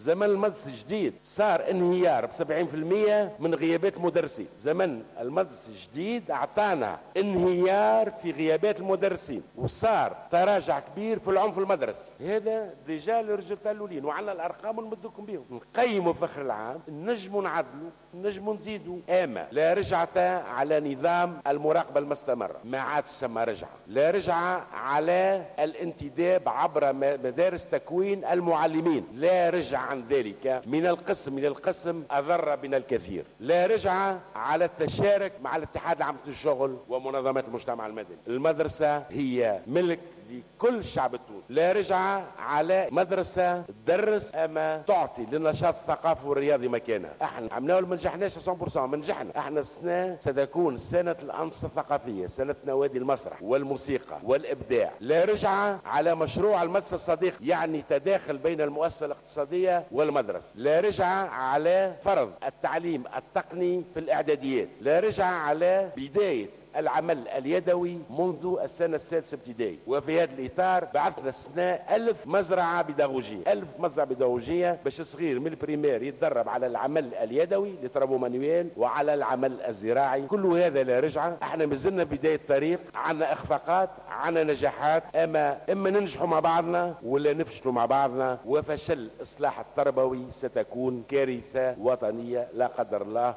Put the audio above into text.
زمن المدرسة الجديد صار انهيار ب 70% من غيابات المدرسين. زمن المدرسة الجديد اعطانا انهيار في غيابات المدرسين، وصار تراجع كبير في العنف المدرسي. هذا déjà les résultats الاولين، وعندنا الارقام ونمدكم بهم. نقيموا في اخر العام، نجموا نعدلوا، نجموا نزيدوا، اما لا رجعة على نظام المراقبة المستمرة، ما عادش ثم رجعه، لا رجعه على الانتداب عبر مدارس تكوين المعلمين، لا رجعه عن ذلك. من القسم الى القسم اضر بنا الكثير. لا رجعه على التشارك مع الاتحاد العام للشغل ومنظمات المجتمع المدني. المدرسة هي ملك لكل الشعب التونسي. لا رجعة على مدرسة تدرس أما تعطي للنشاط الثقافي والرياضي مكانها. احنا عملناه، ما نجحناش 100%، ما نجحنا. احنا السنة ستكون سنة الأنشطة الثقافية، سنة نوادي المسرح والموسيقى والإبداع. لا رجعة على مشروع المدرسة الصديق، يعني تداخل بين المؤسسة الاقتصادية والمدرسة. لا رجعة على فرض التعليم التقني في الإعداديات. لا رجعة على بداية العمل اليدوي منذ السنة السادسة ابتدائي. وفي هذا الإطار بعثنا السنة 1000 مزرعة بيداغوجية، 1000 مزرعة بيداغوجية باش صغير من ال primaire يتدرب على العمل اليدوي، les travaux manuels، وعلى العمل الزراعي. كل هذا لا رجعة. احنا مازلنا بداية الطريق، عندنا إخفاقات، عندنا نجاحات، أما ننجحوا مع بعضنا ولا نفشلوا مع بعضنا. وفشل الإصلاح التربوي ستكون كارثة وطنية لا قدر الله.